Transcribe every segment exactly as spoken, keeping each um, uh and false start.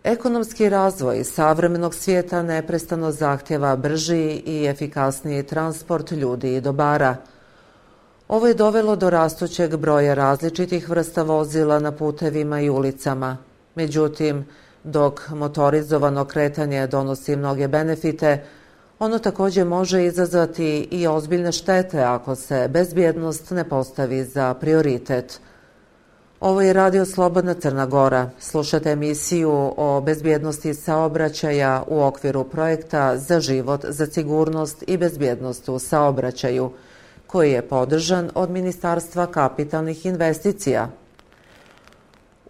Ekonomski razvoj savremenog svijeta neprestano zahtjeva brži i efikasniji transport ljudi i dobara. Ovo je dovelo do rastućeg broja različitih vrsta vozila na putevima i ulicama. Međutim, dok motorizovano kretanje donosi mnoge benefite, ono također može izazvati i ozbiljne štete ako se bezbjednost ne postavi za prioritet. Ovo je Radio Slobodna Crna Gora. Slušate emisiju o bezbjednosti saobraćaja u okviru projekta Za život, za sigurnost i bezbjednost u saobraćaju, koji je podržan od Ministarstva kapitalnih investicija.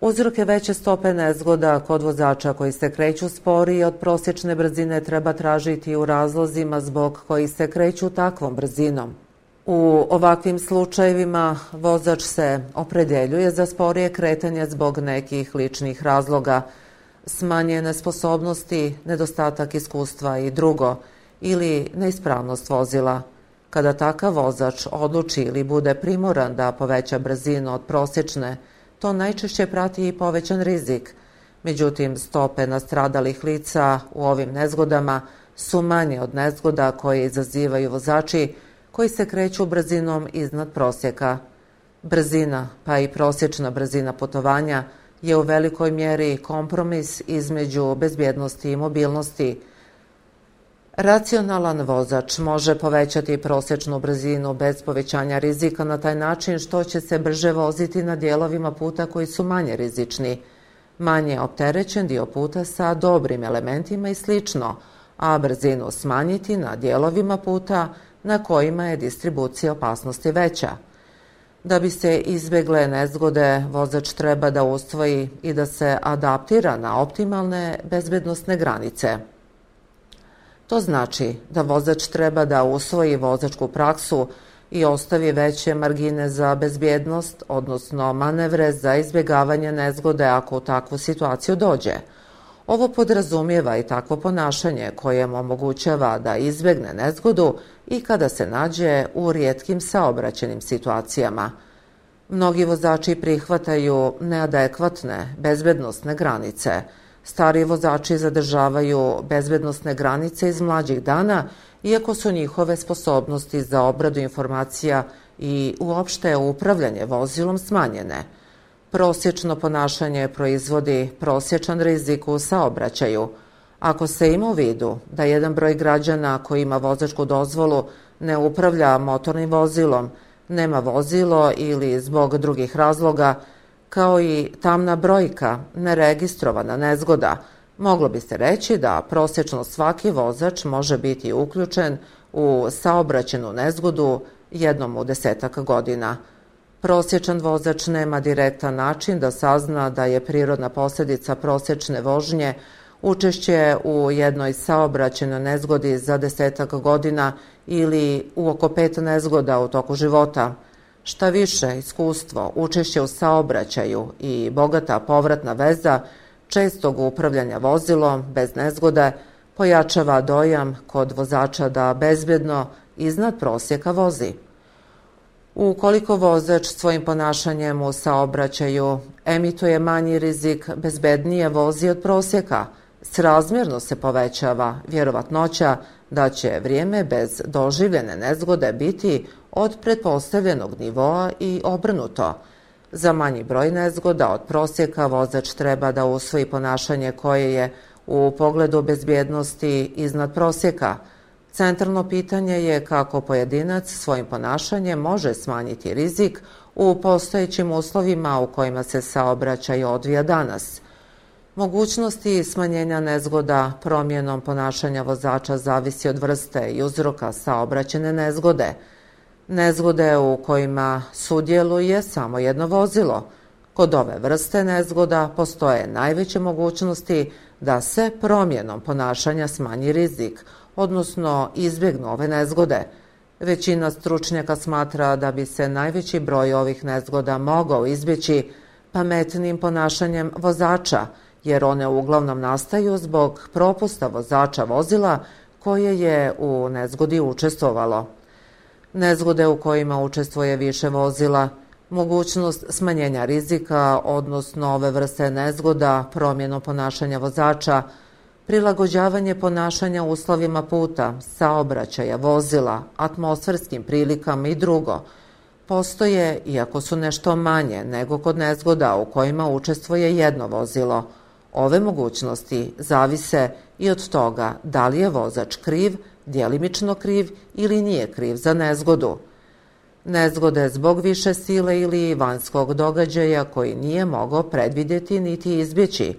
Uzroke veće stope nezgoda kod vozača koji se kreću sporije od prosječne brzine treba tražiti u razlozima zbog kojih se kreću takvom brzinom. U ovakvim slučajevima vozač se opredeljuje za sporije kretanje zbog nekih ličnih razloga, smanjene sposobnosti, nedostatak iskustva i drugo, ili neispravnost vozila. Kada takav vozač odluči ili bude primoran da poveća brzinu od prosječne, to najčešće prati i povećan rizik. Međutim, stope nastradalih lica u ovim nezgodama su manje od nezgoda koje izazivaju vozači koji se kreću brzinom iznad prosjeka. Brzina, pa i prosječna brzina putovanja, je u velikoj mjeri kompromis između bezbjednosti i mobilnosti. Racionalan vozač može povećati prosječnu brzinu bez povećanja rizika na taj način što će se brže voziti na dijelovima puta koji su manje rizični, manje opterećen dio puta sa dobrim elementima i slično, a brzinu smanjiti na dijelovima puta na kojima je distribucija opasnosti veća. Da bi se izbjegle nezgode, vozač treba da usvoji i da se adaptira na optimalne bezbednosne granice. To znači da vozač treba da usvoji vozačku praksu i ostavi veće margine za bezbjednost, odnosno manevre za izbjegavanje nezgode ako u takvu situaciju dođe. Ovo podrazumijeva i takvo ponašanje koje mu omogućava da izbjegne nezgodu i kada se nađe u rijetkim saobraćajnim situacijama. Mnogi vozači prihvataju neadekvatne bezbednosne granice. Stari vozači zadržavaju bezbednosne granice iz mlađih dana, iako su njihove sposobnosti za obradu informacija i uopšte upravljanje vozilom smanjene. Prosječno ponašanje proizvodi prosječan rizik u saobraćaju. Ako se ima u vidu da jedan broj građana koji ima vozačku dozvolu ne upravlja motornim vozilom, nema vozilo ili zbog drugih razloga, kao i tamna brojka, neregistrovana nezgoda, moglo bi se reći da prosječno svaki vozač može biti uključen u saobraćajnu nezgodu jednom u desetak godina. Prosječan vozač nema direktan način da sazna da je prirodna posljedica prosječne vožnje učešće u jednoj saobraćajnoj nezgodi za desetak godina ili u oko pet nezgoda u toku života. Šta više, iskustvo, učešće u saobraćaju i bogata povratna veza čestog upravljanja vozilom bez nezgode pojačava dojam kod vozača da bezbjedno iznad prosjeka vozi. Ukoliko vozač svojim ponašanjem u saobraćaju emituje manji rizik, bezbednije vozi od prosjeka, srazmjerno se povećava vjerovatnoća da će vrijeme bez doživljene nezgode biti od pretpostavljenog nivoa i obrnuto. Za manji broj nezgoda od prosjeka vozač treba da usvoji ponašanje koje je u pogledu bezbjednosti iznad prosjeka. Centralno pitanje je kako pojedinac svojim ponašanjem može smanjiti rizik u postojećim uslovima u kojima se saobraćaj odvija danas. Mogućnosti smanjenja nezgoda promjenom ponašanja vozača zavisi od vrste i uzroka saobraćajne nezgode. Nezgode u kojima sudjeluje samo jedno vozilo. Kod ove vrste nezgoda postoje najveće mogućnosti da se promjenom ponašanja smanji rizik, odnosno izbjegnu ove nezgode. Većina stručnjaka smatra da bi se najveći broj ovih nezgoda mogao izbjeći pametnim ponašanjem vozača, jer one uglavnom nastaju zbog propusta vozača vozila koje je u nezgodi učestvovalo. Nezgode u kojima učestvuje više vozila Mogućnost smanjenja rizika, odnosno ove vrste nezgoda, promjenu ponašanja vozača, prilagođavanje ponašanja uslovima puta, saobraćaja, vozila, atmosferskim prilikama i drugo, postoje, iako su nešto manje nego kod nezgoda u kojima učestvuje jedno vozilo. Ove mogućnosti zavise i od toga da li je vozač kriv, djelimično kriv ili nije kriv za nezgodu. Nezgode zbog više sile ili vanjskog događaja koji nije mogao predvidjeti niti izbjeći.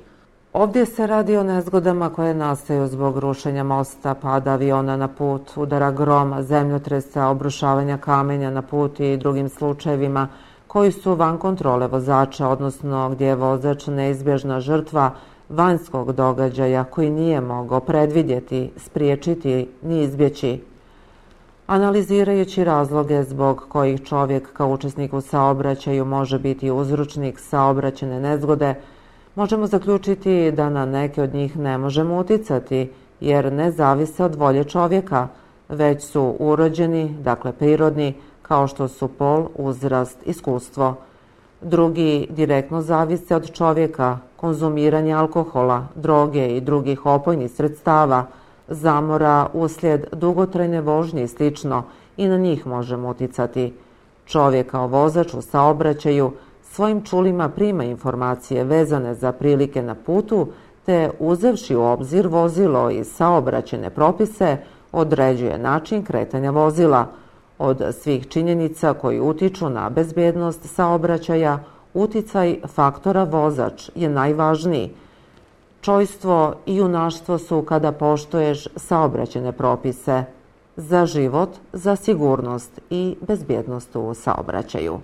Ovdje se radi o nezgodama koje nastaju zbog rušenja mosta, pada aviona na put, udara groma, zemljotresa, obrušavanja kamenja na put i drugim slučajevima koji su van kontrole vozača, odnosno gdje je vozač neizbježna žrtva vanjskog događaja koji nije mogao predvidjeti, spriječiti ni izbjeći. Analizirajući razloge zbog kojih čovjek kao učesnik u saobraćaju može biti uzročnik saobraćajne nezgode, možemo zaključiti da na neke od njih ne možemo uticati, jer ne zavise od volje čovjeka, već su urođeni, dakle prirodni, kao što su pol, uzrast, iskustvo. Drugi direktno zavise od čovjeka, konzumiranje alkohola, droge i drugih opojnih sredstava, zamora uslijed dugotrajne vožnje i slično, i na njih možemo uticati. Čovjek kao vozač u saobraćaju svojim čulima prima informacije vezane za prilike na putu, te uzevši u obzir vozilo i saobraćajne propise, određuje način kretanja vozila. Od svih činjenica koji utiču na bezbjednost saobraćaja, uticaj faktora vozač je najvažniji. Čojstvo i junaštvo su kada poštuješ saobraćajne propise za život, za sigurnost i bezbjednost u saobraćaju.